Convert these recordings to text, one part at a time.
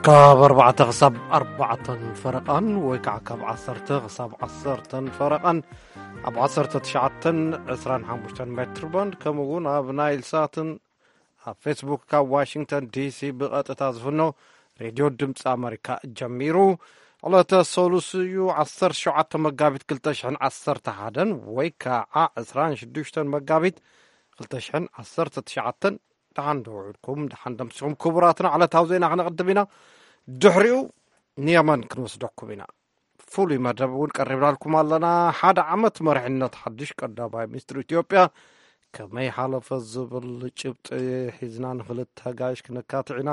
ካብ ኣርባዕተ ክሳብ ኣርባዕተን ፈረቓን ወይ ከዓ ካብ ዓሰርተ ክሳብ ዓሰርተን ፈረቓን ኣብ ዓሰርተ ትሽዓተን ዕስራን ሓሙሽተን ሜትር ባንድ፣ ከምኡ እውን ኣብ ናይል ሳትን ኣብ ፌስቡክ ካብ ዋሽንግተን ዲሲ ብቐጥታ ዝፍኖ ሬድዮ ድምፂ ኣመሪካ ጀሚሩ። ዕለተ ሰሉስ እዩ፣ ዓሰርተ ሸውዓተ መጋቢት ክልተ ሽሕን ዓሰርተ ሓደን ወይ ከዓ ዕስራን ሽዱሽተን መጋቢት ክልተ ሽሕን ዓሰርተ ትሽዓተን። ደሓን ዶ ውዒልኩም? ደሓን ደምሲኹም? ክቡራትና፣ ዕለታዊ ዜና ክነቕድም ኢና። ድሕሪኡ ንየመን ክንወስደኩም ኢና። ፍሉይ መደብ እውን ቀሪብናልኩም ኣለና። ሓደ ዓመት መሪሕነት ሓድሽ ቀዳማይ ሚኒስትር ኢትዮጵያ ከመይ ሓለፈ ዝብል ጭብጢ ሒዝና ንክልተ ጋሽ ክንካትዕ ኢና።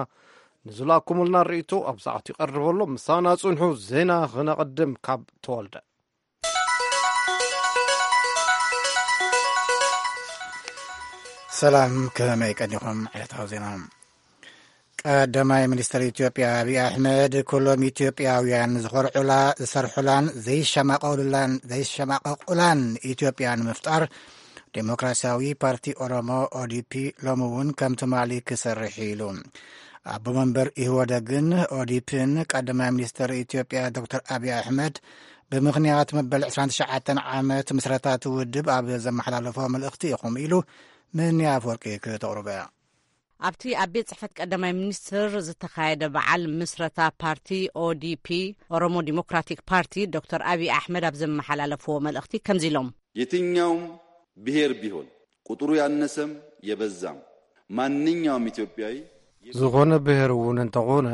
ንዝላኩምልና ርእይቶ ኣብ ሰዓት ይቐርብ ኣሎ። ምሳና ጽንሑ። ዜና ክነቕድም ካብ ተወልደ። ሰላም፣ ከመይ ቀኒኹም? ዕለታዊ ዜና። ቀዳማይ ሚኒስትር ኢትዮጵያ ኣብይ ኣሕመድ፣ ኩሎም ኢትዮጵያውያን ዝኾርዑላ፣ ዝሰርሑላን ዘይሸማቐሉላን ዘይሸማቐቑላን ኢትዮጵያ ንምፍጣር፣ ዴሞክራሲያዊ ፓርቲ ኦሮሞ፣ ኦዲፒ፣ ሎሚ እውን ከም ትማሊ ክሰርሕ ኢሉ። ኣቦ መንበር ኢህወደግን ኦዲፒን ቀዳማይ ሚኒስትር ኢትዮጵያ ዶክተር ኣብይ ኣሕመድ ብምኽንያት መበል ዕስራን ትሽዓተን ዓመት ምስረታ እቲ ውድብ ኣብ ዘመሓላለፎ መልእኽቲ ኢኹም ኢሉ። ምን ኣፈወርቂ ክተቕርቦ እያ። ኣብቲ ኣብ ቤት ጽሕፈት ቀዳማይ ሚኒስትር ዝተኻየደ በዓል ምስረታ ፓርቲ ኦዲፒ፣ ኦሮሞ ዲሞክራቲክ ፓርቲ፣ ዶክተር ኣብይ ኣሕመድ ኣብ ዘመሓላለፍዎ መልእኽቲ ከምዚ ኢሎም። የትኛውም ብሔር ቢሆን፣ ቁጥሩ ያነሰም የበዛም፣ ማንኛውም ኢትዮጵያዊ ዝኾነ ብሔር እውን እንተኾነ፣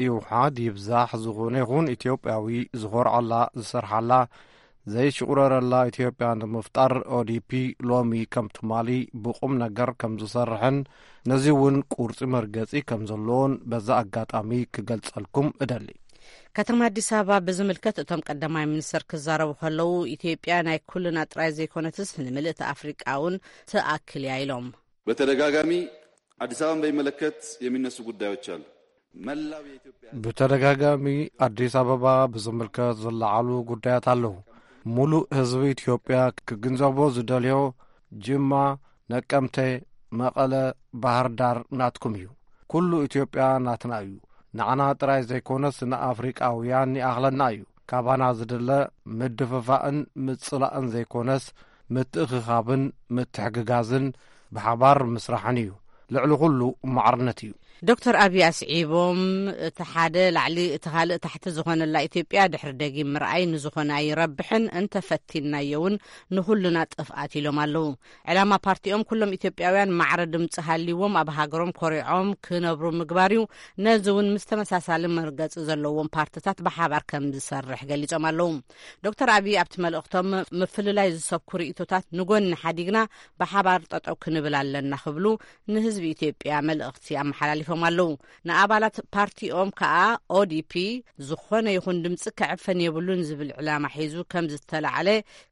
ይውሓድ ይብዛሕ፣ ዝኾነ ይኹን ኢትዮጵያዊ ዝኾርዓላ፣ ዝሰርሓላ፣ ዘይሽቑረረላ ኢትዮጵያ ንምፍጣር ኦዲፒ ሎሚ ከም ትማሊ ብቑም ነገር ከም ዝሰርሕን ነዚ እውን ቁርጺ መርገጺ ከም ዘለዎን በዛ ኣጋጣሚ ክገልጸልኩም እደሊ። ከተማ ኣዲስ ኣበባ ብዝምልከት እቶም ቀዳማይ ሚኒስትር ክዛረቡ ከለዉ፣ ኢትዮጵያ ናይ ኩልና ጥራይ ዘይኮነትስ ንምልእቲ ኣፍሪቃ እውን ትኣክል እያ ኢሎም። በተደጋጋሚ አዲስ አበባን በሚመለከት የሚነሱ ጉዳዮች አሉ። መላው የኢትዮጵያ ብተደጋጋሚ ኣዲስ ኣበባ ብዝምልከት ዝለዓሉ ጉዳያት ኣለዉ። ሙሉእ ህዝቢ ኢትዮጵያ ክግንዘቦ ዝደልዮ፣ ጅማ፣ ነቀምተ፣ መቐለ፣ ባህር ዳር ናትኩም እዩ። ኩሉ ኢትዮጵያ ናትና እዩ። ንዓና ጥራይ ዘይኮነስ ንኣፍሪቃውያን ይኣኽለና እዩ። ካባና ዝድለ ምድፍፋእን ምጽላእን ዘይኮነስ፣ ምትእኽኻብን ምትሕግጋዝን ብሓባር ምስራሕን እዩ። ልዕሊ ኩሉ ማዕርነት እዩ። ዶክተር ኣብይ ኣስዒቦም፣ እቲ ሓደ ላዕሊ እቲ ካልእ ታሕቲ ዝኾነላ ኢትዮጵያ ድሕሪ ደጊም ምርኣይ ንዝኾነ ኣይረብሕን፣ እንተፈቲንናዮ እውን ንኹልና ጥፍኣት ኢሎም ኣለዉ። ዕላማ ፓርቲኦም ኩሎም ኢትዮጵያውያን ማዕረ ድምፂ ሃልይዎም ኣብ ሃገሮም ኮሪዖም ክነብሩ ምግባር እዩ። ነዚ እውን ምስ ተመሳሳሊ መርገፂ ዘለዎም ፓርትታት ብሓባር ከም ዝሰርሕ ገሊፆም ኣለዉ። ዶክተር ኣብይ ኣብቲ መልእኽቶም፣ ምፍልላይ ዝሰብኩ ርእይቶታት ንጎኒ ሓዲግና ብሓባር ጠጠው ክንብል ኣለና ክብሉ ንህዝቢ ኢትዮጵያ መልእኽቲ ኣመሓላሊፎም ኣለዉ። ንኣባላት ፓርቲኦም ከኣ ኦዲፒ ዝኾነ ይኹን ድምፂ ክዕፈን የብሉን ዝብል ዕላማ ሒዙ ከም ዝተላዕለ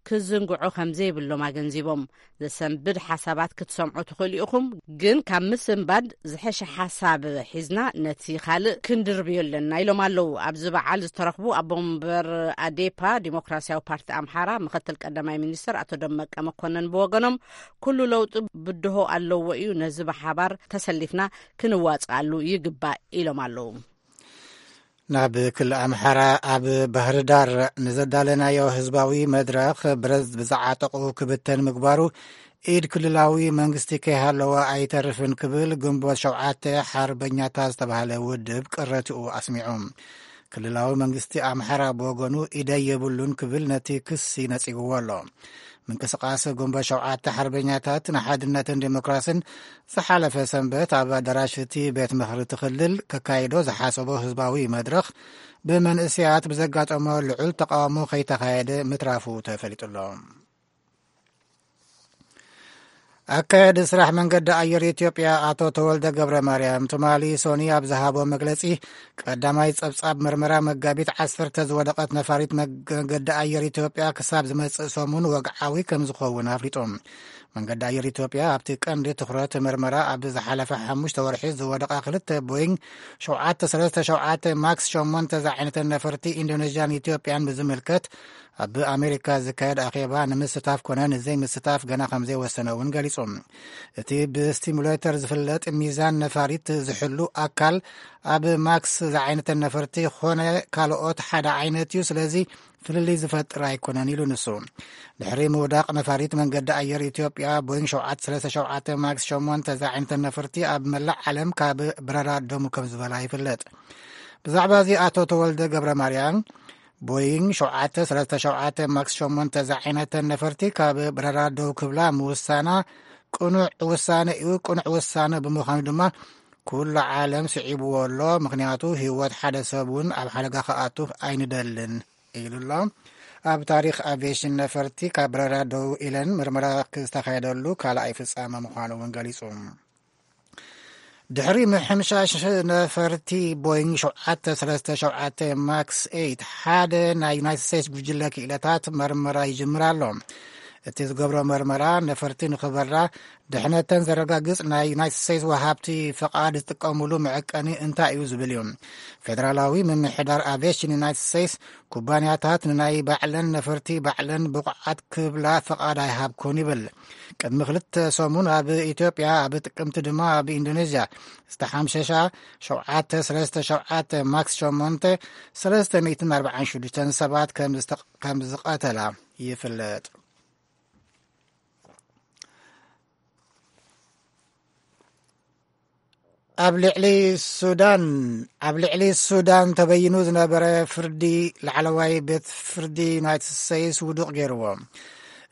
ክዝንግዑ ከም ዘይብሎም ኣገንዚቦም፣ ዘሰንብድ ሓሳባት ክትሰምዑ ትኽእሉ ኢኹም፣ ግን ካብ ምስንባድ ዝሐሸ ሓሳብ ሒዝና ነቲ ካልእ ክንድርብዮ ኣለና ኢሎም ኣለዉ። ኣብዚ በዓል ዝተረኽቡ ኣቦ መንበር ኣዴፓ ዲሞክራሲያዊ ፓርቲ ኣምሓራ ምክትል ቀዳማይ ሚኒስትር ኣቶ ደመቀ መኮነን ብወገኖም፣ ኩሉ ለውጢ ብድሆ ኣለዎ እዩ፣ ነዚ ብሓባር ተሰሊፍና ክንዋፅኣሉ ይግባእ ኢሎም ኣለዉ። ናብ ክልል ኣምሓራ ኣብ ባህር ዳር ንዘዳለናዮ ህዝባዊ መድረኽ ብረት ብዝዓጠቑ ክብተን ምግባሩ ኢድ ክልላዊ መንግስቲ ከይሃለወ ኣይተርፍን ክብል ግንቦት ሸውዓተ ሓርበኛታት ዝተባህለ ውድብ ቅረትኡ ኣስሚዑ። ክልላዊ መንግስቲ ኣምሓራ ብወገኑ ኢደይ የብሉን ክብል ነቲ ክሲ ነጺግዎ ኣሎ። ምንቅስቃስ ግንቦት ሸውዓተ ሓርበኛታት ንሓድነትን ዴሞክራስን ዝሓለፈ ሰንበት ኣብ ኣዳራሽ እቲ ቤት ምኽሪ እቲ ክልል ከካይዶ ዝሓሰቦ ህዝባዊ መድረኽ ብመንእሰያት ብዘጋጠሞ ልዑል ተቃውሞ ከይተኻየደ ምትራፉ ተፈሊጡ ኣሎ። ኣካያዲ ስራሕ መንገዲ ኣየር ኢትዮጵያ ኣቶ ተወልደ ገብረ ማርያም ትማሊ ሶኒ ኣብ ዝሃቦ መግለጺ፣ ቀዳማይ ጸብጻብ መርመራ መጋቢት ዓሰርተ ዝወደቐት ነፋሪት መገ-፣ መንገዲ ኣየር ኢትዮጵያ ክሳብ ዝመጽእ ሰሙን ወግዓዊ ከም ዝኸውን ኣፍሊጡ። መንገዲ ኣየር ኢትዮጵያ ኣብቲ ቀንዲ ትኹረት ምርመራ ኣብ ዝሓለፈ ሓሙሽተ ወርሒ ዝወደቓ ክልተ ቦይንግ ሸውዓተ ሰለስተ ሸውዓተ ማክስ ሸሞንተ ዝዓይነተን ነፈርቲ ኢንዶኔዥያን ኢትዮጵያን ብዝምልከት ኣብ ኣሜሪካ ዝካየድ ኣኼባ ንምስታፍ ኮነ ንዘይምስታፍ ገና ከም ዘይወሰነ እውን ገሊጹ። እቲ ብስቲሙሌተር ዝፍለጥ ሚዛን ነፋሪት ዝሕሉ ኣካል ኣብ ማክስ ዝዓይነተን ነፈርቲ ኮነ ካልኦት ሓደ ዓይነት እዩ። ስለዚ ፍልልይ ዝፈጥር ኣይኮነን ኢሉ ንሱ። ድሕሪ ምውዳቕ ነፋሪት መንገዲ ኣየር ኢትዮጵያ ቦይንግ ሸውዓተ ሰለስተ ሸውዓተ ማክስ ሸሞንተ ዝዓይነተን ነፈርቲ ኣብ መላእ ዓለም ካብ በረራ ደሙ ከም ዝበላ ይፍለጥ። ብዛዕባ እዚ ኣቶ ተወልደ ገብረ ማርያም ቦይንግ ሸውዓተ ሰለስተ ሸውዓተ ማክስ ሸሞንተ ዝዓይነተን ነፈርቲ ካብ በረራ ደው ክብላ ምውሳና ቅኑዕ ውሳነ እዩ። ቅኑዕ ውሳነ ብምዃኑ ድማ ኩሉ ዓለም ስዒብዎ ኣሎ። ምኽንያቱ ህይወት ሓደ ሰብ እውን ኣብ ሓደጋ ክኣቱ ኣይንደልን ኢሉ ኣሎ። ኣብ ታሪኽ ኣቪዬሽን ነፈርቲ ካብ በረራ ደው ኢለን ምርመራ ክዝተኻየደሉ ካልኣይ ፍጻመ ምዃኑ እውን ገሊጹ። ድሕሪ ምሕምሻሽ ነፈርቲ ቦይንግ ሸውዓተ ሰለስተ ሸውዓተ ማክስ ኤይት ሓደ ናይ ዩናይትድ ስቴትስ ጉጅለ ክኢለታት መርመራ ይጅምር ኣሎ። እቲ ዝገብሮ መርመራ ነፈርቲ ንኽበራ ድሕነተን ዘረጋግጽ ናይ ዩናይትድ ስቴትስ ወሃብቲ ፍቓድ ዝጥቀምሉ መዐቀኒ እንታይ እዩ ዝብል እዩ። ፌደራላዊ ምምሕዳር ኣቪዬሽን ዩናይትድ ስቴትስ ኩባንያታት ንናይ ባዕለን ነፈርቲ ባዕለን ብቑዓት ክብላ ፍቓድ ኣይሃብኩን ይብል። ቅድሚ ክልተ ሰሙን ኣብ ኢትዮጵያ፣ ኣብ ጥቅምቲ ድማ ኣብ ኢንዶኔዥያ ዝተሓምሸሻ ሸውዓተ ሰለስተ ሸውዓተ ማክስ ሸሞንተ ሰለስተ ሚእትን ኣርባዓን ሽዱሽተን ሰባት ከም ዝተ-፣ ከም ዝቐተላ ይፍለጥ። ኣብ ልዕሊ ሱዳን፣ ኣብ ልዕሊ ሱዳን ተበይኑ ዝነበረ ፍርዲ ላዕለዋይ ቤት ፍርዲ ዩናይትድ ስቴትስ ውዱቕ ገይርዎ።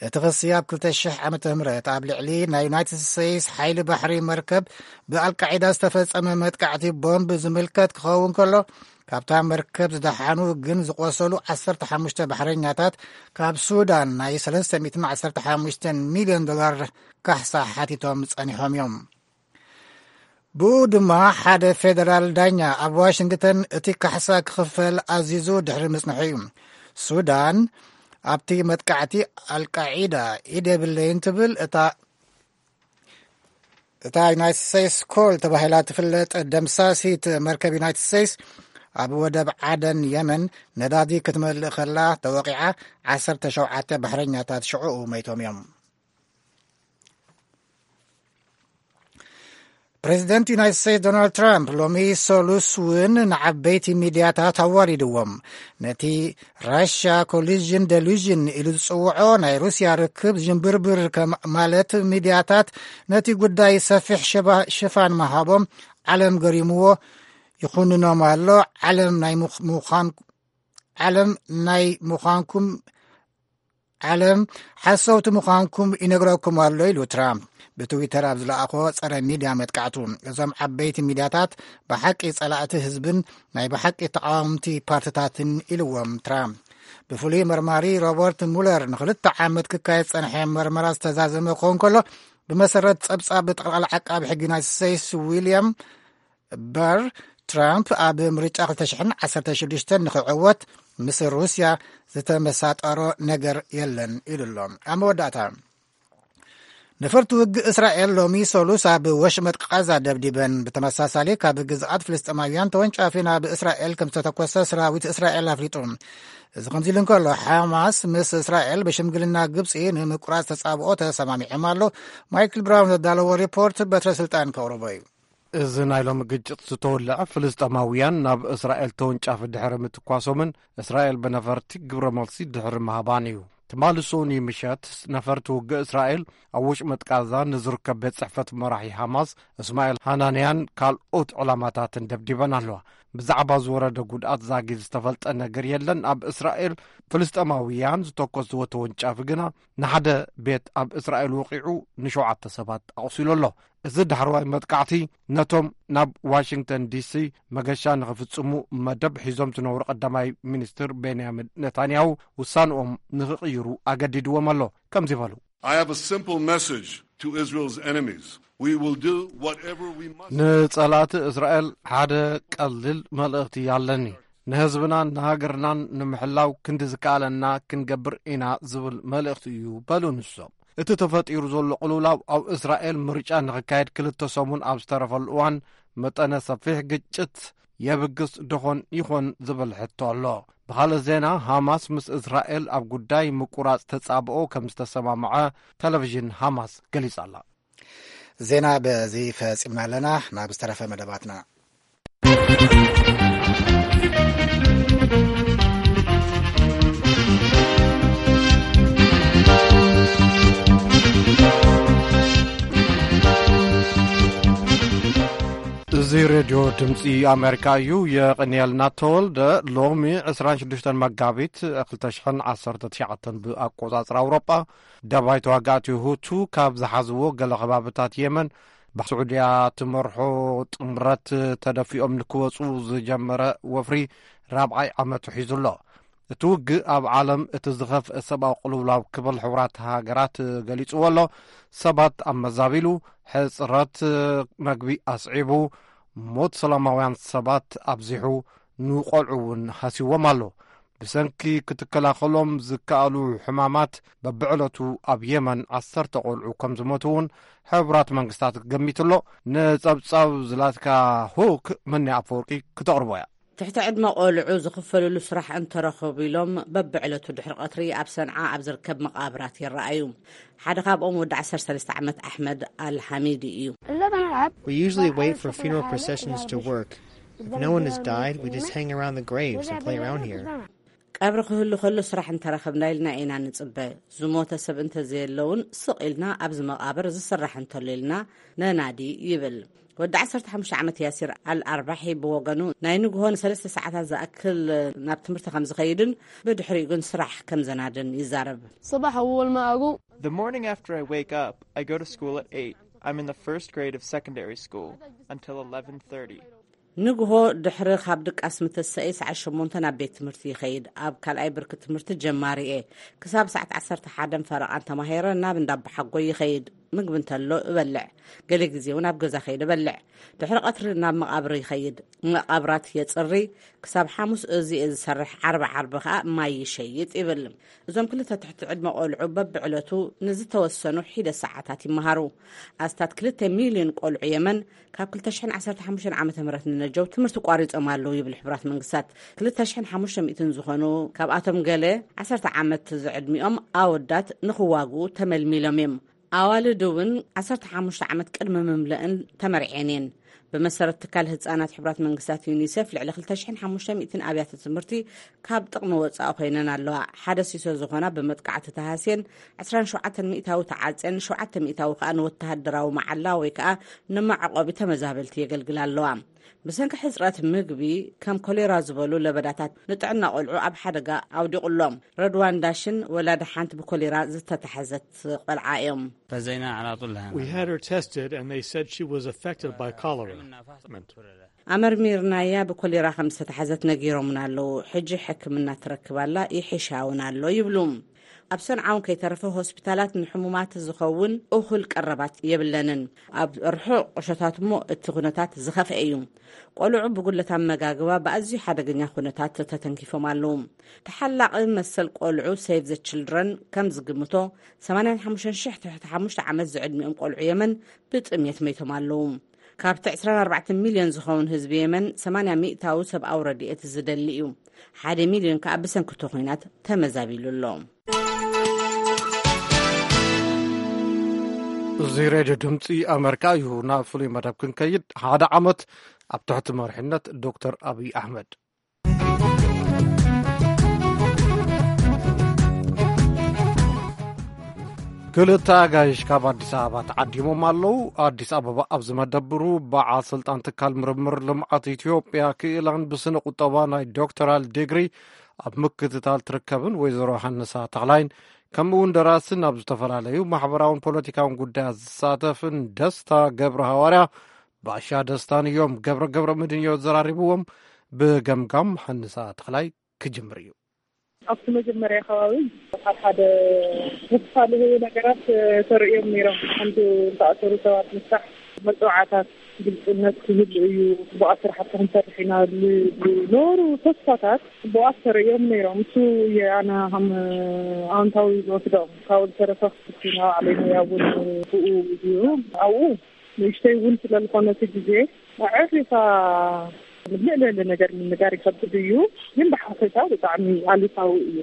እቲ ክሲ ኣብ ክልተ ሽሕ ዓመተ ምህረት ኣብ ልዕሊ ናይ ዩናይትድ ስቴትስ ሓይሊ ባሕሪ መርከብ ብኣልቃዒዳ ዝተፈጸመ መጥቃዕቲ ቦምብ ዝምልከት ክኸውን ከሎ፣ ካብታ መርከብ ዝደሓኑ ግን ዝቆሰሉ ዓሰርተ ሓሙሽተ ባሕረኛታት ካብ ሱዳን ናይ ሰለስተ ሚእትን ዓሰርተ ሓሙሽተ ሚልዮን ዶላር ካሕሳ ሓቲቶም ጸኒሖም እዮም። ብኡ ድማ ሓደ ፌደራል ዳኛ ኣብ ዋሽንግተን እቲ ካሕሳ ክኽፈል ኣዚዙ ድሕሪ ምጽንሑ እዩ። ሱዳን ኣብቲ መጥቃዕቲ ኣልቃዒዳ ኢድ የብለይን ትብል። እታ፣ እታ ዩናይትድ ስቴትስ ኮል ተባሂላ ትፍለጥ ደምሳሲት መርከብ ዩናይትድ ስቴትስ ኣብ ወደብ ዓደን የመን ነዳዲ ክትመልእ ከላ ተወቂዓ፣ ዓሰርተ ሸውዓተ ባሕረኛታት ሽዑኡ መይቶም እዮም። ፕሬዚደንት ዩናይትድ ስቴትስ ዶናልድ ትራምፕ ሎሚ ሰሉስ እውን ንዓበይቲ ሚድያታት ኣዋሪድዎም። ነቲ ራሽያ ኮሊዥን ደሉዥን ኢሉ ዝጽውዖ ናይ ሩስያ ርክብ ዥንብርብር ከም ማለት ሚድያታት ነቲ ጉዳይ ሰፊሕ ሽባ-፣ ሽፋን ምሃቦም ዓለም ገሪምዎ ይኹንኖም ኣሎ። ዓለም ናይ ምኽ-፣ ምዃን-፣ ዓለም ናይ ምዃንኩም ዓለም ሓሰውቲ ምዃንኩም ይነግረኩም ኣሎ ኢሉ ትራምፕ ብትዊተር ኣብ ዝለኣኾ ጸረ ሚድያ መጥቃዕቱ። እዞም ዓበይቲ ሚድያታት ብሓቂ ጸላእቲ ህዝብን ናይ ብሓቂ ተቃወምቲ ፓርትታትን ኢልዎም ትራምፕ። ብፍሉይ መርማሪ ሮበርት ሙለር ንኽልተ ዓመት ክካየድ ጸንሐ መርመራ ዝተዛዘመ ክኸውን ከሎ፣ ብመሰረት ጸብጻብ ጠቕላላ ዓቃቢ ሕጊ ዩናይትድ ስቴትስ ዊልያም በር፣ ትራምፕ ኣብ ምርጫ ክልተ ሽሕን ዓሰርተ ሽዱሽተን ንኽዕወት ምስ ሩስያ ዝተመሳጠሮ ነገር የለን ኢሉ ኣሎ። ኣብ መወዳእታ፣ ነፈርቲ ውግእ እስራኤል ሎሚ ሰሉስ ኣብ ወሽመጥ ቃዛ ደብዲበን፣ ብተመሳሳሊ ካብ ግዝኣት ፍልስጤማውያን ተወንጫፊ ናብ እስራኤል ከም ዝተተኮሰ ሰራዊት እስራኤል ኣፍሊጡ። እዚ ከምዚ ኢሉ እንከሎ፣ ሓማስ ምስ እስራኤል ብሽምግልና ግብጺ ንምቁራጽ ተጻብኦ ተሰማሚዖም ኣሎ። ማይክል ብራውን ዘዳለዎ ሪፖርት በትረ ስልጣን ከቕርቦ እዩ። እዚ ናይ ሎሚ ግጭት ዝተወልዐ ፍልስጤማውያን ናብ እስራኤል ተወንጫፊ ድሕሪ ምትኳሶምን እስራኤል ብነፈርቲ ግብረ መልሲ ድሕሪ ምሃባን እዩ። ትማሊ ሰኑይ ምሸት ነፈርቲ ውግእ እስራኤል ኣብ ወሽመጥ ቃዛ ንዝርከብ ቤት ጽሕፈት መራሒ ሓማስ እስማኤል ሃናንያን ካልኦት ዕላማታትን ደብዲበን ኣለዋ። ብዛዕባ ዝወረደ ጉድኣት ዛጊድ ዝተፈልጠ ነገር የለን። ኣብ እስራኤል ፍልስጤማውያን ዝተኮስዎ ተወንጫፊ ግና ንሓደ ቤት ኣብ እስራኤል ወቒዑ ንሸውዓተ ሰባት ኣቑሲሉ ኣሎ። እዚ ዳሕረዋይ መጥቃዕቲ ነቶም ናብ ዋሽንግተን ዲሲ መገሻ ንኽፍጽሙ መደብ ሒዞም ዝነበሩ ቀዳማይ ሚኒስትር ቤንያሚን ነታንያሁ ውሳንኦም ንኽቕይሩ ኣገዲድዎም ኣሎ። ከምዚ በሉ። I have a simple message to Israel's enemies. We will do whatever we must. ንጸላእቲ እስራኤል ሓደ ቀሊል መልእኽቲ ኣለኒ። ንህዝብናን ንሃገርናን ንምሕላው ክንዲ ዝከኣለና ክንገብር ኢና ዝብል መልእኽቲ እዩ በሉ ንሶም። እቲ ተፈጢሩ ዘሎ ቅልውላው ኣብ እስራኤል ምርጫ ንኽካየድ ክልተ ሰሙን ኣብ ዝተረፈሉ እዋን፣ መጠነ ሰፊሕ ግጭት የብግስ ደኾን ይኾን ዝብል ሕቶ ኣሎ። ብኻልእ ዜና፣ ሃማስ ምስ እስራኤል ኣብ ጉዳይ ምቁራጽ ተጻብኦ ከም ዝተሰማምዐ ቴሌቪዥን ሃማስ ገሊጻ ኣላ። ዜና በዚ ፈጺምና ኣለና። ናብ ዝተረፈ መደባትና። እዚ ሬድዮ ድምፂ ኣሜሪካ እዩ። የቐንየልና ተወልደ። ሎሚ ዕስራን ሽዱሽተን መጋቢት ክልተ ሽሕን ዓሰርተ ትሽዓተን ብኣቆጻጽራ ኣውሮጳ፣ ደባይ ተዋጋእቲ ሁቱ ካብ ዝሓዝዎ ገለ ከባብታት የመን ብስዑድያ ትመርሖ ጥምረት ተደፊኦም ንክወፁ ዝጀመረ ወፍሪ ራብዓይ ዓመቱ ሒዙ ኣሎ። እቲ ውግእ ኣብ ዓለም እቲ ዝኸፍአ ሰብኣዊ ቅልውላው ክብል ሕቡራት ሃገራት ገሊጽዎ ኣሎ። ሰባት ኣብ መዛቢሉ፣ ሕጽረት መግቢ ኣስዒቡ፣ ሞት ሰላማውያን ሰባት ኣብዚሑ፣ ንቆልዑ እውን ሃሲዎም ኣሎ። ብሰንኪ ክትከላኸሎም ዝከኣሉ ሕማማት በብዕለቱ ኣብ የመን ዓሰርተ ቆልዑ ከም ዝሞቱ እውን ሕቡራት መንግስታት ገሚቱ ኣሎ። ንጸብጻብ ዝላትካ ሁክ መኒ ኣፈወርቂ ክተቕርቦ እያ። ትሕቲ ዕድመ ቆልዑ ዝኽፈልሉ ስራሕ እንተረኸቡ ኢሎም በብዕለቱ ድሕሪ ቀትሪ ኣብ ሰንዓ ኣብ ዝርከብ መቓብራት ይረኣዩ። ሓደ ካብኦም ወዲ ዓሰርተ ሰለስተ ዓመት ኣሕመድ ኣልሓሚዲ እዩ። We usually wait for funeral processions to work. If no one has died, we just hang around the graves and play around here. ቀብሪ ክህሉ ከሎ ስራሕ እንተረኸብና ኢልና ኢና ንጽበ። ዝሞተ ሰብ እንተዘየሎ እውን ስቕ ኢልና ኣብዚ መቓብር ዝስራሕ እንተሎ ኢልና ነናዲ ይብል። ወዲ ዓሰርተ ሓሙሽተ ዓመት ያሲር ኣልኣርባሒ ብወገኑ ናይ ንግሆ ንሰለስተ ሰዓታት ዝኣክል ናብ ትምህርቲ ከም ዝኸይድን ብድሕሪኡ ግን ስራሕ ከም ዘናድን ይዛረብ። صباح أول ما أقوم The morning after I wake up, I go to school at eight. I'm in the first grade of secondary school until eleven thirty. ንግሆ ድሕሪ ካብ ድቃስ ምትሰኤ ሰዓት ሸሞንተ ናብ ቤት ትምህርቲ ይኸይድ። ኣብ ካልኣይ ብርኪ ትምህርቲ ጀማሪ እየ። ክሳብ ሰዓት ዓሰርተ ሓደን ፈረቓን ተማሂረ ናብ እንዳ ኣቦሓጎይ ይኸይድ። ምግቢ እንተሎ እበልዕ። ገለ ግዜ እውን ኣብ ገዛ ከይደ እበልዕ። ድሕሪ ቀትሪ ናብ መቓብር ይኸይድ። መቓብራት የጽሪ። ክሳብ ሓሙስ እዚ እየ ዝሰርሕ። ዓርቢ ዓርቢ ከኣ ማይ ይሸይጥ ይብል። እዞም ክልተ ትሕቲ ዕድመ ቆልዑ በብዕለቱ ንዝተወሰኑ ሒደ ሰዓታት ይመሃሩ። ኣስታት ክልተ ሚልዮን ቆልዑ የመን ካብ ክልተ ሽሕን ዓሰርተ ሓሙሽተን ዓመተ ምህረት ንነጀው ትምህርቲ ቋሪጾም ኣለዉ ይብል ሕቡራት መንግስታት። ክልተ ሽሕን ሓሙሽተ ሚእትን ዝኾኑ ካብኣቶም ገለ ዓሰርተ ዓመት ዝዕድሚኦም ኣወዳት ንኽዋግኡ ተመልሚሎም እዮም። ኣዋልድ እውን ዓሰርተ ሓሙሽተ ዓመት ቅድሚ ምምለእን ተመርዔን እየን። ብመሰረት ትካል ህጻናት ሕቡራት መንግስታት ዩኒሴፍ፣ ልዕሊ ክልተ ሽሕን ሓሙሽተ ሚእትን ኣብያተ ትምህርቲ ካብ ጥቕሚ ወጻኢ ኮይነን ኣለዋ። ሓደ ሲሶ ዝኾና ብመጥቃዕቲ ተሃስየን፣ ዕስራን ሸውዓተን ሚእታዊ ተዓጽየን፣ ሸውዓተ ሚእታዊ ከኣ ንወተሃደራዊ መዓላ ወይ ከኣ ንመዕቆቢ ተመዛበልቲ የገልግላ ኣለዋ። ብሰንኪ ሕጽረት ምግቢ፣ ከም ኮሌራ ዝበሉ ለበዳታት ንጥዕና ቆልዑ ኣብ ሓደጋ ኣውዲቑ ኣሎ። ረድዋን ዳሽን ወላዲ ሓንቲ ብኮሌራ ዝተታሕዘት ቆልዓ እዮም። فزينا على طول لها. We had her tested and they said she was affected by cholera. ኣመርሚርናያ ብኮሌራ ከም ዝተታሕዘት ነጊሮምና ኣለዉ። ሕጂ ሕክምና ትረክብ ኣላ፣ ይሕሻ እውን ኣሎ ይብሉ። ኣብ ሰንዓ እውን ከይተረፈ ሆስፒታላት ንሕሙማት ዝኸውን እኹል ቀረባት የብለንን። ኣብ ርሑቕ ቁሸታት እሞ እቲ ኩነታት ዝኸፍአ እዩ። ቆልዑ ብጉድለት ኣመጋግባ ብኣዝዩ ሓደገኛ ኩነታት ተተንኪፎም ኣለዉ። ተሓላቒ መሰል ቆልዑ ሴቭ ዘ ችልድረን ከም ዝግምቶ፣ ሰማንያን ሓሙሽተን ሽሕ ትሕቲ ሓሙሽተ ዓመት ዝዕድሚኦም ቆልዑ የመን ብጥምየት መይቶም ኣለዉ። ካብቲ ዕስራን ኣርባዕተን ሚልዮን ዝኸውን ህዝቢ የመን፣ ሰማንያ ሚእታዊ ሰብኣዊ ረድኤት ዝደሊ እዩ። ሓደ ሚልዮን ከኣ ብሰንኪ እቲ ኹናት ተመዛቢሉ ኣሎ። እዚ ሬድዮ ድምፂ ኣመሪካ እዩ። ናብ ፍሉይ መደብ ክንከይድ፣ ሓደ ዓመት ኣብ ትሕቲ መሪሕነት ዶክተር ኣብይ ኣሕመድ። ክልተ ኣጋይሽ ካብ ኣዲስ ኣበባ ተዓዲሞም ኣለዉ። ኣዲስ ኣበባ ኣብ ዝመደብሩ በዓል ስልጣን ትካል ምርምር ልምዓት ኢትዮጵያ ክኢላን ብስነ ቁጠባ ናይ ዶክተራል ዲግሪ ኣብ ምክትታል ትርከብን ወይዘሮ ሃንሳ ተኽላይን፣ ከምኡ እውን ደራስን ኣብ ዝተፈላለዩ ማሕበራውን ፖለቲካውን ጉዳያት ዝሳተፍን ደስታ ገብረ ሃዋርያ ባሻ ደስታን እዮም። ገብረ ገብረ ምድን እዮ ዘራሪብዎም። ብገምጋም ሃንሳ ተኽላይ ክጅምር እዩ። ኣብቲ መጀመርያ ከባቢ ሓደ ተስፋ ልህቡ ነገራት ተርእዮም ነይሮም። ከምቲ ዝተኣሰሩ ሰባት ምስራሕ፣ መጽዋዕታት ግልጽነት ክህሉ እዩ። ጽቡቓት ስራሕቲ ክንሰርሕ ኢና ዝብሉ ነበሩ። ተስፋታት ጽቡቓት ተርእዮም ነይሮም። እሱ እየ ኣነ ከም ኣወንታዊ ዝወስዶ። ካብኡ ዝተረፈ ክፍትና ባዕለይ ሞያ እውን ብኡ እዩ። ኣብኡ ንእሽተይ እውን ስለ ዝኾነ እቲ ግዜ ኣዕሪኻ ልዕሊ ነገር ምንጋር ይኸብድ እዩ። ግን ብሓፈሻ ብጣዕሚ ኣሉታዊ እዩ።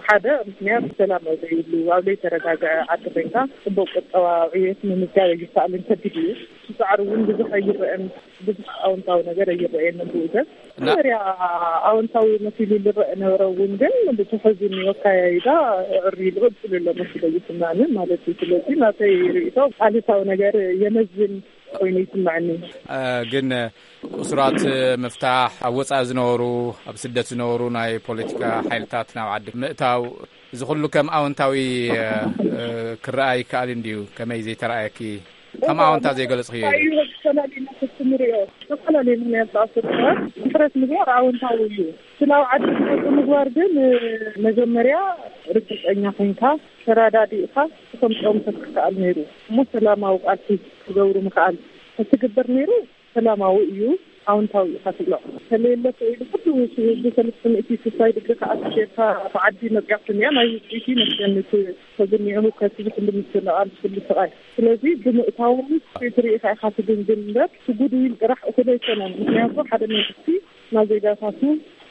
ሓደ ምክንያት ሰላም ኣብ ዘይብሉ፣ ኣብ ዘይተረጋግዐ ዓዲ ኮይንካ ጽቡቕ ቁጠባዊ ዕብየት ምምዝጋብ ኣይከኣልን፣ ከቢድ እዩ። እቲ ጻዕሪ እውን ብዙሕ ኣይረአን፣ ብዙሕ ኣወንታዊ ነገር ኣይረአየንን ብኡ ሰብ። እና መጀመርያ ኣወንታዊ መሲሉ ዝረአ ነበረ እውን ግን ብትሕዝኒ ኣካያይዳ ዕሪ ዝቕጽል ኣሎ መሲሉ ይስማኒ ማለት እዩ። ስለዚ ናተይ ርእይቶ ኣሉታዊ ነገር የመዝን ኮይኑ ይስማዕኒ። እ፣ ግን እሱራት ምፍታሕ፣ ኣብ ወጻኢ ዝነበሩ፣ ኣብ ስደት ዝነበሩ ናይ ፖለቲካ ሓይልታት ናብ ዓዲ ምእታው፣ እዚ ኩሉ ከም ኣወንታዊ፣ እ፣ እ፣ ክረኣ ይከኣል እንድዩ። ከመይ ዘይተረኣየኪ? ከም ኣወንታ ዘይገለጽክዮ እዩ? እዩ ዝተፈላለዩ ምኽንያት ክትንሪኦ፣ ዝተፈላለዩ ምኽንያት ዝኣስሩ ሰባት ምሕረት ምግባር ኣወንታዊ እዩ። ስለ ኣብ ዓዲ ዝመጹ ምግባር ግን፣ እ፣ መጀመርያ ርግጸኛ ኮይንካ፣ ተረዳዲእካ፣ ክተምጽኦም ምኽኣል ነይሩ። እሞ ሰላማዊ ቃልሲ ክገብሩ ምኽኣል፣ ክትግበር ነይሩ። ሰላማዊ እዩ፣ ኣወንታዊ እዩ ኢኻ ትብሎ። ከለየለ ክኢሉ ኩሉ ህዝቢ ሰለስተ ሚእቲ ስሳይ ድግሪ ከኣ ጌርካ ብዓዲ መጽያትንያ ናይ ውጽኢት እዩ መስገን እቲ ተዝኒኦ ህውከት እዚ ኩሉ ምትንቓል ኩሉ ስቓይ። ስለዚ ብምእታዎም ትሪኢኻ ኢኻ ትግምግም እምበር እቲ ጉድዊል ጥራሕ እኹል ኣይኮነን። ምክንያቱ ሓደ መንግስቲ ናብ ዜጋታቱ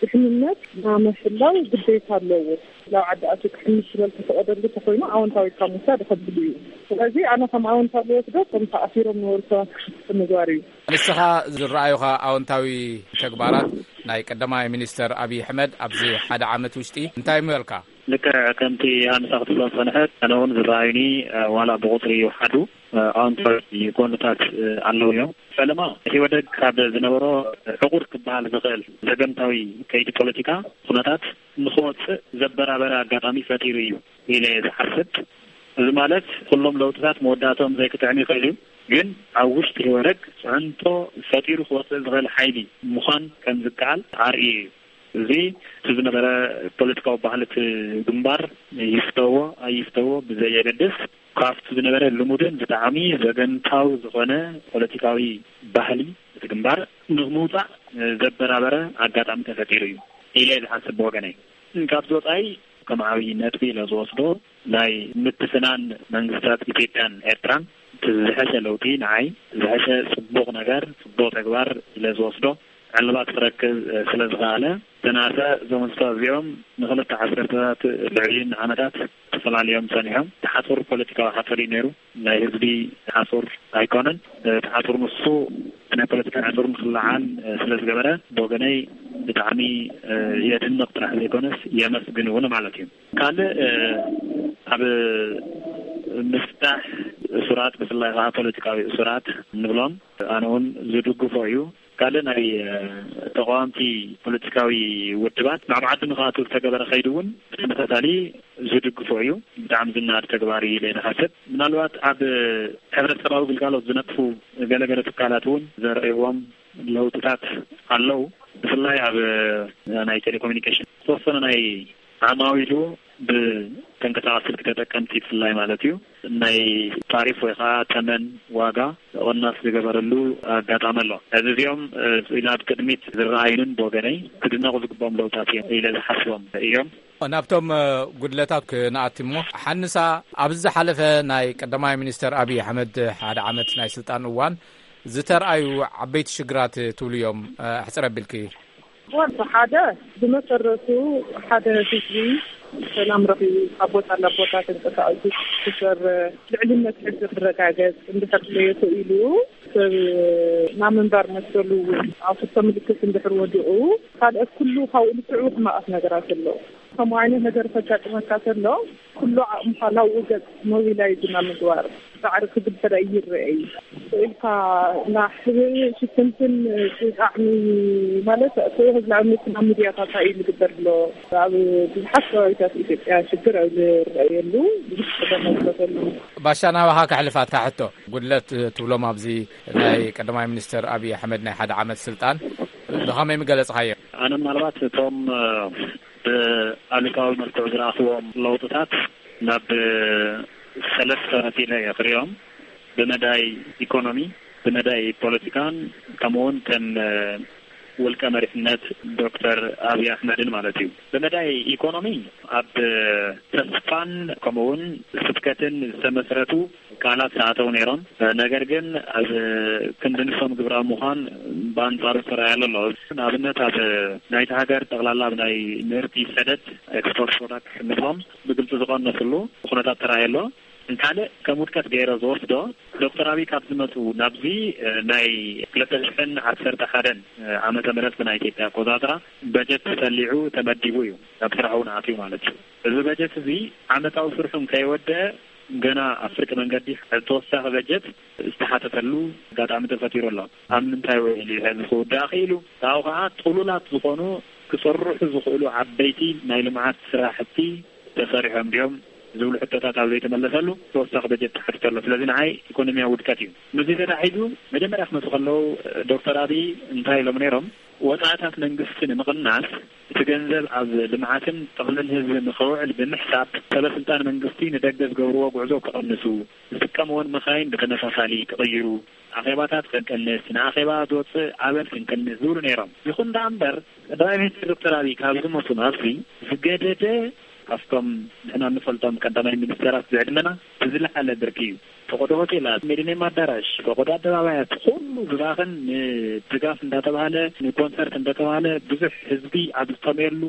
ድሕንነት ናይ ምሕላው ግዴታ ኣለዎ። ናብ ዓዲ ኣትዩ ክሕምስ ስለ ዝተፈቐደሉ ተኾይኑ ኣወንታዊ ኢልካ ምውሳድ ይኸብድ እዩ። ስለዚ ኣነ ከም ኣወንታዊ ዝወስዶ እቶም ተኣሲሮም ዝነበሩ ሰባት ክፍትሑ ምግባር እዩ። ንስኻ ዝረኣዩኻ ኣወንታዊ ተግባራት ናይ ቀዳማይ ሚኒስተር ኣብይ ኣሕመድ ኣብዚ ሓደ ዓመት ውሽጢ እንታይ ምበልካ? ልክዕ ከምቲ ኣንሳ ክትብሎ ዝጸንሐት፣ ኣነ እውን ዝረኣዩኒ፣ እ፣ ዋላ ብቁጽሪ ይውሓዱ፣ እ፣ ኣወንታዊ ጎንታት፣ እ፣ ኣለዉ እዮም። ፈለማ ኢህወደግ ካብ ዝነበሮ ዕቑር ክበሃል ዝኽእል ዘገምታዊ ከይዲ ፖለቲካ ኩነታት ንኽወጽእ ዘበራበረ ኣጋጣሚ ፈጢሩ እዩ ኢለ እየ ዝሓስብ። እዚ ማለት ኩሎም ለውጥታት መወዳእትኦም ዘይክጥዕም ይኽእል እዩ፣ ግን ኣብ ውሽጢ ኢህወደግ ጽዕንቶ ፈጢሩ ክወጽእ ዝኽእል ሓይሊ ምዃን ከም ዝከኣል ኣርእዩ እዩ። እዚ እቲ ዝነበረ ፖለቲካዊ ባህሊ እቲ ግንባር ይፍተዎ ኣይፍተዎ ብዘየገድስ፣ ካብቲ ዝነበረ ልሙድን ብጣዕሚ ዘገምታዊ ዝኾነ ፖለቲካዊ ባህሊ እቲ ግንባር ንምውጻእ ዘበራበረ ኣጋጣሚ ተፈጢሩ እዩ ኢለ እየ ዝሓስብ ብወገነይ። ካብዚ ወጻኢ ከም ዓብዪ ነጥቢ ኢለ ዝወስዶ ናይ ምትፍናን መንግስታት ኢትዮጵያን ኤርትራን እቲ ዝሐሸ ለውጢ ንዓይ ዝሐሸ ጽቡቕ ነገር፣ ጽቡቕ ተግባር ኢለ ዝወስዶ ዕልባት ክረክብ፣ እ፣ ስለ ዝኸኣለ፣ ዝተናሰ እዞም ህዝብታት እዚኦም ንኽልተ ዓሰርተታት ልዕሊን ዓመታት ተፈላልዮም ጸኒሖም። እቲ ሓጹር ፖለቲካዊ ሓጹር እዩ ነይሩ። ናይ ህዝቢ ሓጹር ኣይኮነን። እቲ ሓጹር ንሱ ናይ ፖለቲካ ሓጹር ንኽለዓል፣ እ፣ ስለ ዝገበረ፣ ብወገነይ ብጣዕሚ፣ እ፣ የድንቕ ጥራሕ ዘይኮነስ የመስግን እውን ማለት እዩ። ካልእ፣ እ፣ ኣብ ምፍታሕ እሱራት፣ ብፍላይ ከዓ ፖለቲካዊ እሱራት እንብሎም፣ ኣነ እውን ዝድግፎ እዩ። ካልእ ናይ፣ እ፣ ተቃወምቲ ፖለቲካዊ ውድባት ናብ ዓዲ ንክኣትዉ ዝተገበረ ከይዲ እውን ብተመሳሳሊ ዝድግፎ እዩ። ብጣዕሚ ዝናድ ተግባር እዩ ኢለ ዝሓስብ። ምናልባት ኣብ ሕብረተሰባዊ ግልጋሎት ዝነጥፉ ገለገለ ትካላት እውን ዘርእይዎም ለውጥታት ኣለዉ። ብፍላይ ኣብ ናይ ቴሌኮሙኒኬሽን ዝተወሰነ ናይ ዓማዊሉ ብተንቀሳቃሲ ስልኪ ተጠቀምቲ ብፍላይ ማለት እዩ፣ ናይ ታሪፍ ወይ ከዓ ተመን ዋጋ ቅናስ ዝገበረሉ ኣጋጣሚ ኣሎ። እዚ እዚኦም፣ እ፣ ናብ ቅድሚት ዝረኣዩንን ብወገነይ ክድነቑ ዝግብኦም ለውጥታት እዮም ኢለ ዝሓስቦም እዮም። ናብቶም፣ እ፣ ጉድለታት ክንኣቲ እሞ፣ ሓንሳ ኣብዚ ዝሓለፈ ናይ ቀዳማይ ሚኒስተር ኣብይ ኣሕመድ ሓደ ዓመት ናይ ስልጣን እዋን ዝተርኣዩ ዓበይቲ ሽግራት ትብሉ እዮም፣ እ፣ ኣሕጽር ኣቢልኪ? ዋንታ ሓደ ብመሰረቱ ሓደ ህዝቢ ሰላም ረኺቡ ካብ ቦታ ናብ ቦታ ተንቀሳቒሱ ክሰርሕ፣ ልዕልነት ሕጊ ክረጋገጽ እንድሕር ዘይኽኢሉ፣ ሰብ ናብ ምንባር መሰሉ እውን ኣብ ሕቶ ምልክት እንድሕር ወዲቑ፣ ካልኦት ኩሉ ካብኡ ልስዕቡ ሕማቓት ነገራት ኣለዉ። ከምኡ ዓይነት ነገር ከጋጥመካ ከሎ፣ ኩሉ ዓቕምኻ ናብኡ ገጽ ሞቢላይዝ ናብ ምግባር ጻዕሪ ክግበር ኣይረኣይ። ኢልካ ናብ ሕብሪ ሽፍንፍን ብጣዕሚ ማለት እቲ ህዝቢ ኣብ ሚድያታት እዩ ዝግበር ኣሎ። ኣብ ብዙሓት ከባቢታት ኢትዮጵያ ሽግር ኣብ ዝረኣየሉ ብዙሕ ጸገም ኣብ ዝፈተሉ። ባሻ ናባኻ ከሕልፍ ኣታ ሕቶ፣ ጉድለት ትብሎም ኣብዚ ናይ ቀዳማይ ሚኒስተር ኣብይ ኣሕመድ ናይ ሓደ ዓመት ስልጣን ብኸመይ ምገለጽኻዮ? ኣነ ምናልባት እቶም ብኣሉታዊ መልክዑ ዝረኣኽዎም ለውጥታት ናብ ሰለስተ መፊለ እየ ክሪኦም። ብመዳይ ኢኮኖሚ፣ ብመዳይ ፖለቲካን ከምኡውን ከም ውልቀ መሪሕነት ዶክተር ኣብይ ኣሕመድን ማለት እዩ። ብመዳይ ኢኮኖሚ ኣብ ተስፋን ከምኡውን ስብከትን ዝተመስረቱ ቃላት ተኣተው ነይሮም። ነገር ግን ኣብ ክንዲ ንሶም ግብራዊ ምዃን ብኣንጻሩ ዝተረኣየሉ ኣሎ። ንኣብነት ኣብ ናይቲ ሃገር ጠቕላላ ኣብ ናይ ምህርቲ ሰደድ፣ ኤክስፖርት ፕሮዳክት ንብሎም፣ ብግልፂ ዝቐነስሉ ኩነታት ተራእየ ኣሎ። ካልእ ከም ውድቀት ገይረ ዝወስዶ፣ ዶክተር ኣብይ ካብ ዝመፁ ናብዚ ናይ ክልተ ሽሕን ዓሰርተ ሓደን ዓመተ ምህረት ብናይ ኢትዮጵያ ኣቆፃፅራ በጀት ተሰሊዑ ተመዲቡ እዩ፣ ናብ ስራሕ እውን ኣትዩ ማለት እዩ። እዚ በጀት እዚ ዓመታዊ ስርሑ ከይወደ ገና ኣብ ፍርቂ መንገዲ ተወሳኺ በጀት ዝተሓተተሉ ኣጋጣሚ ተፈጢሩ ኣሎ። ኣብ ምንታይ ውዒሉ እዩ ሕዚ ክውዳእ ክኢሉ? ካብኡ ከዓ ጥሉላት ዝኾኑ ክፅርሑ ዝኽእሉ ዓበይቲ ናይ ልምዓት ስራሕቲ ተሰሪሖም ድዮም ዝብሉ ሕቶታት ኣብ ዘይተመለሰሉ ተወሳኺ በጀት ተሓቲቱ ኣሎ። ስለዚ ንዓይ ኢኮኖሚያዊ ውድቀት እዩ። ምስዚ ተታሒዙ መጀመርያ ክመፁ ከለዉ ዶክተር ኣብይ እንታይ ኢሎም ነይሮም? ወፃእታት መንግስቲ ንምቕናስ እቲ ገንዘብ ኣብ ልምዓትን ጥቕምን ህዝቢ ንኸውዕል ብምሕሳብ ሰበስልጣን መንግስቲ ንደገ ዝገብርዎ ጉዕዞ ክቐንሱ፣ ዝጥቀምዎን መኻይን ብተመሳሳሊ ክቕይሩ፣ ኣኼባታት ክንቅንስ፣ ንኣኼባ ዝወፅእ ኣበል ክንቅንስ ዝብሉ ነይሮም። ይኹን ደኣ እምበር ቀዳማይ ሚኒስትር ዶክተር ኣብይ ካብ ዝመፁ ናብዚ ዝገደደ ካብቶም ንሕና እንፈልጦም ቀዳማይ ሚኒስተራት ዝዕድመና ብዝለዓለ ብርኪ እዩ። ፈቐዶ ሆቴላት፣ ሚሊኒየም ኣዳራሽ፣ ፈቐዶ ኣደባባያት፣ ኩሉ ዝባኽን ንድጋፍ እንዳተባሃለ፣ ንኮንሰርት እንዳተባሃለ ብዙሕ ህዝቢ ኣብ ዝጠምየሉ፣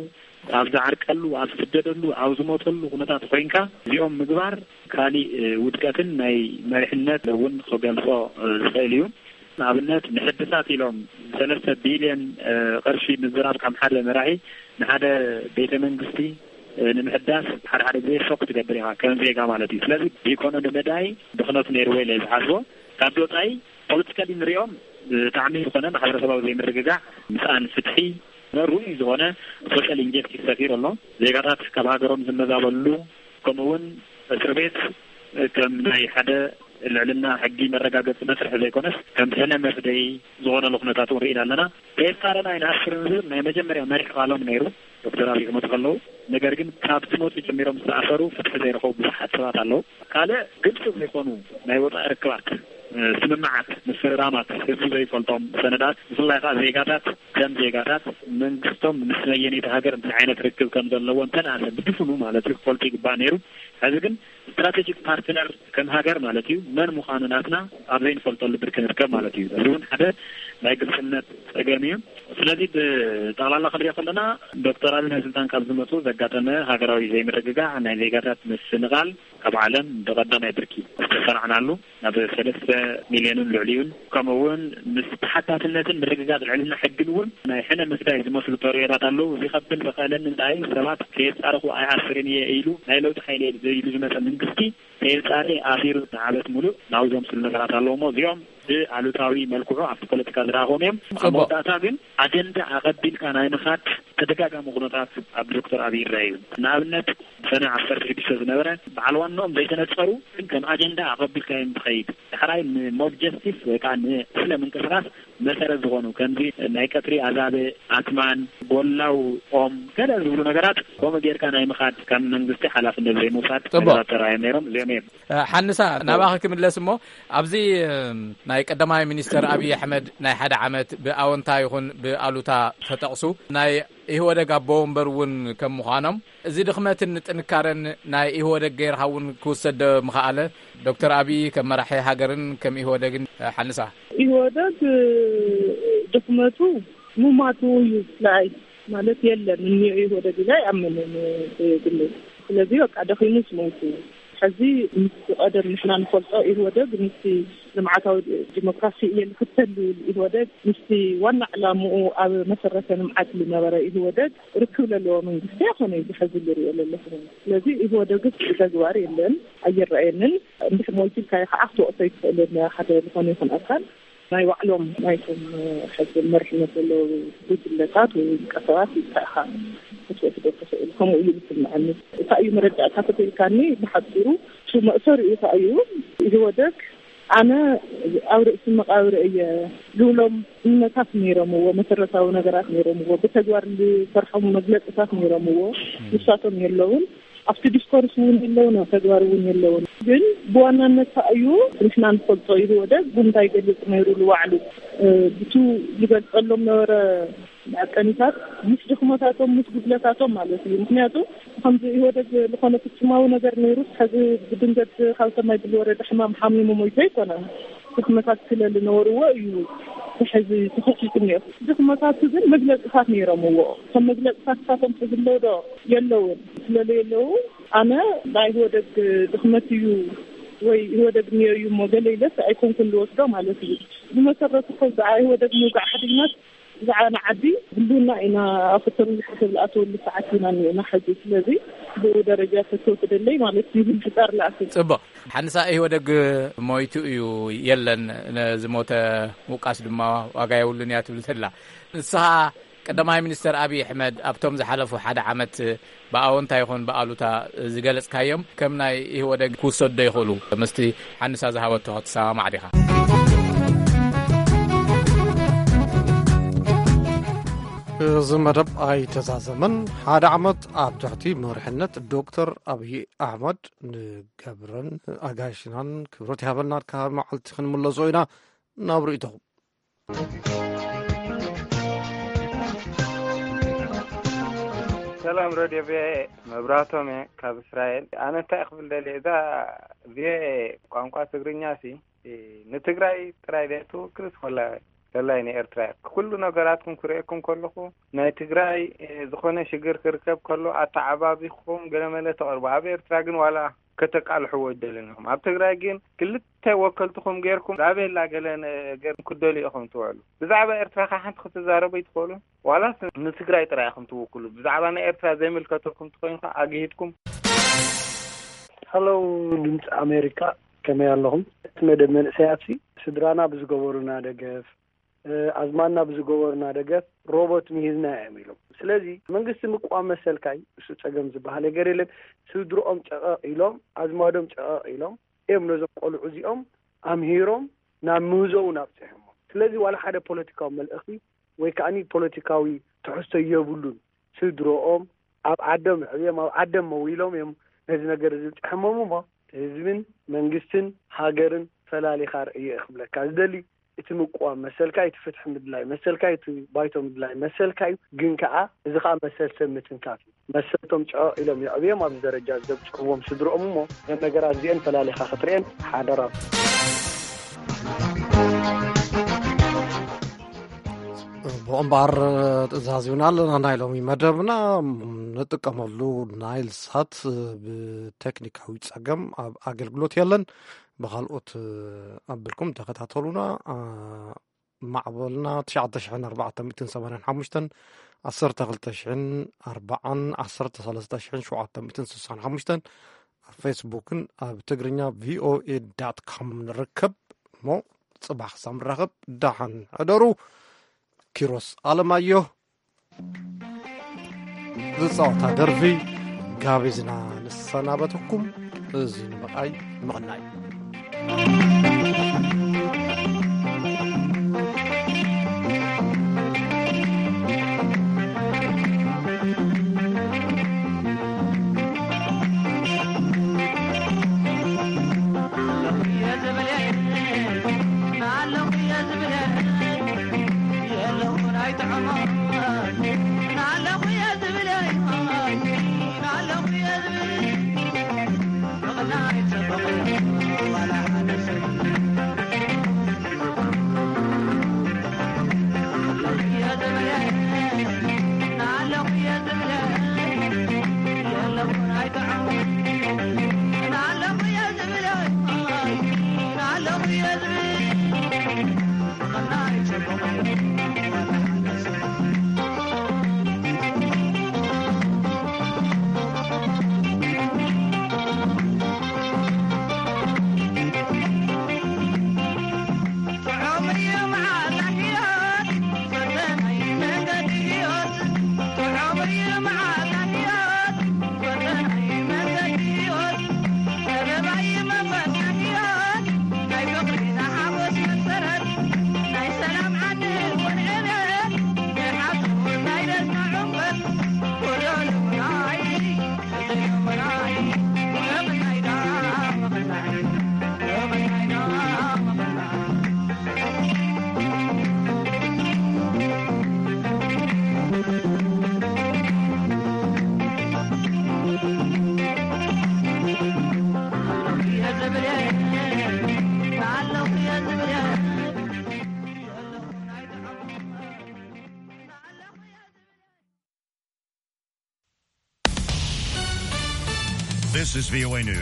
ኣብ ዝዓርቀሉ፣ ኣብ ዝስደደሉ፣ ኣብ ዝሞተሉ ኩነታት ኮይንካ እዚኦም ምግባር ካሊእ ውድቀትን ናይ መሪሕነት እውን ክገልጾ ዝኽእል እዩ። ንኣብነት ንሕድሳት ኢሎም ሰለስተ ቢልዮን ቅርሺ ምዝራብ ካብ ሓደ መራሒ ንሓደ ቤተ መንግስቲ ንምሕዳስ ሓደ ሓደ ግዜ ሾክ ትገብር ኢኻ ከም ዜጋ ማለት እዩ። ስለዚ ብኢኮኖሚ መዳይ ድኽነቱ ነይርዎ ኢለ ዝሓስቦ። ካብ ወፃኢ ፖለቲካሊ ንሪኦም ብጣዕሚ ዝኾነ ማሕበረሰባዊ ዘይምርግጋዕ፣ ምስኣን ፍትሒ፣ ርኡይ ዝኾነ ሶሻል ኢንጀስቲስ ሰፊሩ ኣሎ። ዜጋታት ካብ ሃገሮም ዝመዛበሉ፣ ከምኡ እውን እስር ቤት ከም ናይ ሓደ ልዕልና ሕጊ መረጋገፂ መስርሒ ዘይኮነስ ከም ሕነ መፍደይ ዝኾነሉ ኩነታት እውን ርኢና ኣለና። ከየፃረና ኣይንኣስርን ዝብል ናይ መጀመርያ መሪሕ ቃሎም ነይሩ ዶክተር ኣብይ ክመፁ ከለዉ። ነገር ግን ካብ ዝመፁ ጀሚሮም ዝተኣሰሩ ፍትሒ ዘይረኸቡ ብዙሓት ሰባት ኣለዉ። ካልእ ግልፂ ዘይኮኑ ናይ ወፃኢ ርክባት፣ ስምምዓት፣ ምስርራማት፣ ህዝቢ ዘይፈልጦም ሰነዳት፣ ብፍላይ ከዓ ዜጋታት ከም ዜጋታት መንግስቶም ምስ መየነይቲ ሃገር እንታይ ዓይነት ርክብ ከም ዘለዎ እንተንኣሰ ብድፍኑ ማለት እዩ ክፈልጡ ይግባእ ነይሩ። ሕዚ ግን ስትራቴጂክ ፓርትነር ከም ሃገር ማለት እዩ መን ምዃኑ ናትና ኣብ ዘይንፈልጠሉ ብርኪ ንርከብ ማለት እዩ። እዚ እውን ሓደ ናይ ግልፅነት ፀገም እዩ። ስለዚ ብጠቕላላ ክንሪኦ ከለና ዶክተር ኣብይ ናብ ስልጣን ካብ ዝመፁ ዘጋጠመ ሃገራዊ ዘይምርግጋዕ፣ ናይ ዜጋታት ምስንቓል ካብ ዓለም ብቐዳማይ ብርኪ ዝተሰራዕናሉ ናብ ሰለስተ ሚልዮንን ልዕሊኡን፣ ከምኡ እውን ምስ ተሓታትነትን ምርግጋፅ ልዕልና ሕግን እውን ናይ ሕነ ምፍዳይ ዝመስሉ ተርእዮታት ኣለዉ። እዚ ከብል ዝኽእለኒ እንታይ ሰባት ከየፃረኹ ኣይኣስርን እየ ኢሉ ናይ ለውጢ ሓይሊ እየ ኢሉ ዝመፀ መንግስቲ ከየፃሪ ኣሲሩ ንዓመት ሙሉእ ናብዞም ስሉ ነገራት ኣለዉ እሞ እዚኦም ብኣሉታዊ መልክዑ ኣብቲ ፖለቲካ ዝረኣኹም እዮም። ኣብ ጽቡቕ። መወዳእታ ግን ኣጀንዳ ኣቐቢልካ ናይ ምኻድ ተደጋጋሚ ኩነታት ኣብ ዶክተር ኣብይ ይረአ እዩ። ንኣብነት ሰነ ዓሰርተ ሽዱሽተ ዝነበረ በዓል ዋናኦም ዘይተነጸሩ ግን ከም ኣጀንዳ ኣቐቢልካ እዮም ትኸይድ። ዳሕራይ ንሞብ ጀስቲስ ወይ ከዓ ንስለ ምንቅስቃስ መሰረት ዝኾኑ ከምዚ ናይ ቀትሪ ኣዛብእ፣ ኣትማን፣ ጎላው ኦም ገለ ዝብሉ ነገራት ከምኡ ጌርካ ናይ ምኻድ ከም መንግስቲ ሓላፍነት ዘይምውሳድ ጽቡቕ። ነገራት ተራእዮም ነይሮም። እዚኦም እዮም። ሓንሳ ናባኺ ክምለስ እሞ ኣብዚ ናይ ቀዳማይ ሚኒስተር ኣብይ ኣሕመድ ናይ ሓደ ዓመት ብኣወንታ ይኹን ብኣሉታ ተጠቕሱ ናይ ኢህወደግ ኣቦ ወንበር እውን ከም ምዃኖም እዚ ድኽመትን ጥንካረን ናይ ኢህወደግ ገይርካ እውን ክውሰድ ምኽኣለ ዶክተር ኣብይ ከም መራሒ ሃገርን ከም ኢህወደግን ሓንሳ? ኢህወደግ ድኽመቱ ምማቱ እዩ። ስለኣይ ማለት የለን እኒኦ ኢህወደግ ኢለ ኣይኣምንን ብግለይ። ስለዚ በቃ ደኺሙስ ሞይቱ። ሕዚ ምስ ቀደም ንሕና ንፈልጦ ኢህወደግ ምስቲ ልምዓታዊ ዲሞክራሲ እየ ዝኽተል ዝብል ኢህወደግ ምስቲ ዋና ዕላምኡ ኣብ መሰረተ ልምዓት ዝነበረ ኢህወደግ ርክብ ዘለዎ መንግስቲ ኣይኮነ እዚ ሕዚ ዝሪኦ ዘለኹ። ስለዚ ኢህወደግስ ብተግባር የለን ኣይረኣየንን። እንድሕር ሞይቱ ኢልካዮ ከዓ ክትወቕሶ ኣይትኽእልን ሓደ ዝኾነ ይኹን ኣካል ናይ ባዕሎም ናይቶም ሕዚ መሪሕነት ዘለዉ ጉጅለታት ወይ ውልቀ ሰባት ኢልካ ኢኻ ክትወስዶ ትኽእል። ከምኡ እዩ ዝስምዐኒ። እንታይ እዩ መረዳእታ ተተኢልካኒ ብሓፂሩ እሱ መእሰሪኡ እንታይ እዩ ኢህወደግ ኣነ ኣብ ርእሲ መቃብር እየ ዝብሎም እምነታት ነይሮምዎ፣ መሰረታዊ ነገራት ነይሮምዎ፣ ብተግባር ዝሰርሖም መግለፅታት ነይሮምዎ። ንሳቶም የለውን። ኣብቲ ዲስኮርስ እውን የለውን፣ ኣብ ተግባር እውን የለውን። ግን ብዋናነት ከኣ እዩ ንሕና ንፈልጦ ኢህወደግ እንታይ ይገልጽ ነይሩ ንባዕሉ፣ እ፣ ብቱ ዝገልጸሎም ነበረ መዐቀኒታት ምስ ድኽመታቶም ምስ ጉድለታቶም ማለት እዩ። ምክንያቱ ከምዚ ኢህወደግ ዝኾነ ፍጹማዊ ነገር ነይሩ ሕዚ ብድንገት ካብ ሰማይ ብዝወረደ ሕማም ሓሚሙ ሞይቱ ኣይኮነን። ድኽመታት ስለ ዝነበርዎ እዩ ሕዚ ተኸሲቱ ነይሩ። ድኽመታቱ ግን መግለጽታት ነይሮምዎ። ከም መግለጽታት እሳቶም ተዝለዉ ዶ የለውን። ስለዘየለዉ ኣነ ናይ ኢህወደግ ድኽመት እዩ ወይ ኢህወደግ እኒኦ እዩ እሞ ገለ ኢለስ ኣይኮንኩን ዝወስዶ ማለት እዩ። ብመሰረቱ እኮ ብዛዕባ ኢህወደግ ምውጋዕ ሓዲግናስ ብዛዕባ ንዓዲ ህልውና ኢና ኣብ ክልተ ሚእቲ ዝሓሰብ ዝኣተወሉ ሰዓት ኢና እኒአና ሕዚ። ስለዚ ብኡ ደረጃ ተተወስደለይ ማለት እዩ። ህልቂ ጻር ለኣክል። ጽቡቕ። ሓንሳ ኢህወደግ ሞይቱ እዩ የለን፣ ነዚ ሞተ ምውቃስ ድማ ዋጋ የብሉን እያ ትብል ዘላ። ንስኻ ቀዳማይ ሚኒስተር ኣብይ ኣሕመድ ኣብቶም ዝሓለፉ ሓደ ዓመት ብኣወንታ ይኹን ብኣሉታ ዝገለጽካዮም ከም ናይ ኢህወደግ ክውሰዱ ዶ ይኽእሉ? ምስቲ ሓንሳ ዝሃበቶ ክትሰማማዕ ዲኻ? እዚ መደብ ኣይተዛዘመን። ሓደ ዓመት ኣብ ትሕቲ መሪሕነት ዶክተር ኣብይ ኣሕመድ ንገብረን ኣጋይሽናን ክብረት ይሃበልና። ካብ መዓልቲ ክንምለሶ ኢና ናብ ርእይቶኹም። ሰላም ረድዮ ቪኦኤ፣ መብራህቶም እየ ካብ እስራኤል። ኣነ እንታይ ክብል ደልየ፣ እዛ ቪኦኤ ቋንቋ ትግርኛ ሲ ንትግራይ ጥራይ ደ ትውክልስ ወላ ለላይ ንኤርትራ እያ? ኩሉ ነገራትኩም ክርእየኩም ከለኹ ናይ ትግራይ፣ እ፣ ዝኾነ ሽግር ክርከብ ከሎ ኣተዓባቢኹም ገለመለ ተቕርቡ። ኣብ ኤርትራ ግን ዋላ ከተቃልሕዎ ይደልን ኢኹም። ኣብ ትግራይ ግን ክልተ ወከልትኹም ጌርኩም ዛቤላ ገለ ነገር ክትደልዩ ኢኹም ትውዕሉ። ብዛዕባ ኤርትራ ከ ሓንቲ ክትዛረቡ ይትኽእሉ? ዋላስ ንትግራይ ጥራይ ኢኹም ትውክሉ? ብዛዕባ ናይ ኤርትራ ዘይምልከተኩም ትኾይኑ ከ ኣግሂድኩም? ሃሎ ድምፂ ኣሜሪካ፣ ከመይ ኣለኹም? እቲ መደብ መንእሰያት ሲ ስድራና ብዝገበሩና ደገፍ፣ እ፣ ኣዝማድና ብዝገበሩና ደገፍ ሮቦት ምሂዝና እዮም ኢሎም። ስለዚ መንግስቲ ምቋም መሰልካይ፣ እሱ ጸገም ዝበሃል ነገር የለን። ስድርኦም ጨቐቕ ኢሎም፣ ኣዝማዶም ጨቐቕ ኢሎም እዮም ነዞም ቆልዑ እዚኦም ኣምሂሮም ናብ ምህዞ እውን ኣብፂሖሞ። ስለዚ ዋላ ሓደ ፖለቲካዊ መልእኽቲ ወይ ከዓኒ ፖለቲካዊ ትሕዝቶ የብሉን። ስድርኦም ኣብ ዓዶም ኣዕብዮም ኣብ ዓዶም መዊሎም እዮም ነዚ ነገር እዚ ብፅሐሞም እሞ ህዝብን መንግስትን ሃገርን ፈላሊኻ ርእዮ እየ ክብለካ ዝደሊ። እቲ ምቅዋም መሰልካ እዩ፣ እቲ ፍትሒ ምድላይ መሰልካ እዩ፣ እቲ ባይቶ ምድላይ መሰልካ እዩ። ግን ከዓ እዚ ከዓ መሰል ሰብ ምትንካፍ እዩ። መሰልቶም ጨቕ ኢሎም የዕብዮም ኣብዚ ደረጃ ዘብፅሕዎም ስድርኦም እሞ እዘን ነገራት እዚአን ፈላሊኻ ክትርእየን ሓደራ። ብእምበኣር ትእዛዝ ይብና ኣለና። ናይ ሎሚ መደብና ንጥቀመሉ ናይል ሳት ብቴክኒካዊ ጸገም ኣብ ኣገልግሎት የለን። ብኻልኦት ኣቢልኩም ተኸታተሉና። ማዕበልና ትሽዓተ ሽሕን ኣርባዕተ ሚእትን ሰማንያን ሓሙሽተን፣ ዓሰርተ ክልተ ሽሕን ኣርባዓን፣ ዓሰርተ ሰለስተ ሽሕን ሸውዓተ ሚእትን ስሳን ሓሙሽተን፣ ኣብ ፌስቡክን ኣብ ትግርኛ ቪኦኤ ዳት ኮም ንርከብ። እሞ ጽባሕ ክሳብ ንራኸብ ደሓን ሕደሩ። ኪሮስ ኣለማዮ ዝጻወታ ደርፊ ጋቢዝና ንሰናበተኩም። እዚ ንምርኣይ ምቕናይ። This is V O A News.